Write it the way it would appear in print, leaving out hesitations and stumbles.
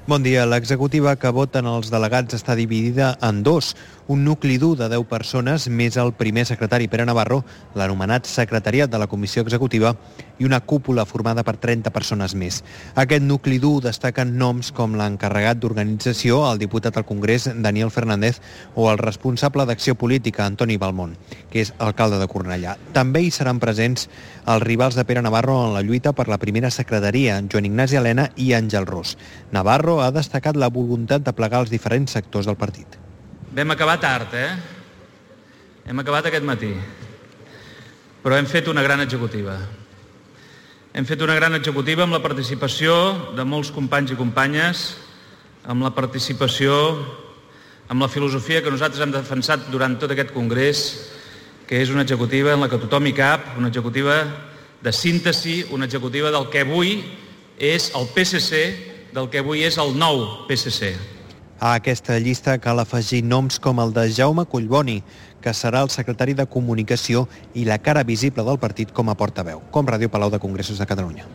Bon dia. L'executiva que voten els delegats està dividida en dos. Un nucli dur de 10 persones, més el primer secretari Pere Navarro, l'anomenat secretariat de la comissió executiva, i una cúpula formada per 30 persones més. Aquest nucli dur destaquen noms com l'encarregat d'organització, el diputat al Congrés, Daniel Fernández, o el responsable d'acció política, Antoni Balmont, que és alcalde de Cornellà. També hi seran presents els rivals de Pere Navarro en la lluita per la primera secretaria, Joan Ignasi Elena i Àngel Ros. Navarro ha destacat la voluntat de plegar els diferents sectors del partit. Vam acabar tard, Hem acabat aquest matí. Però hem fet una gran executiva. Hem fet una gran executiva amb la participació de molts companys i companyes, amb la participació, amb la filosofia que nosaltres hem defensat durant tot aquest congrés, que és una executiva en la que tothom hi cap, una executiva de síntesi, una executiva del que avui és el PSC, del que avui és el nou PSC. A aquesta llista cal afegir noms com el de Jaume Collboni, que serà el secretari de Comunicació i la cara visible del partit com a portaveu, com Ràdio Palau de Congressos de Catalunya.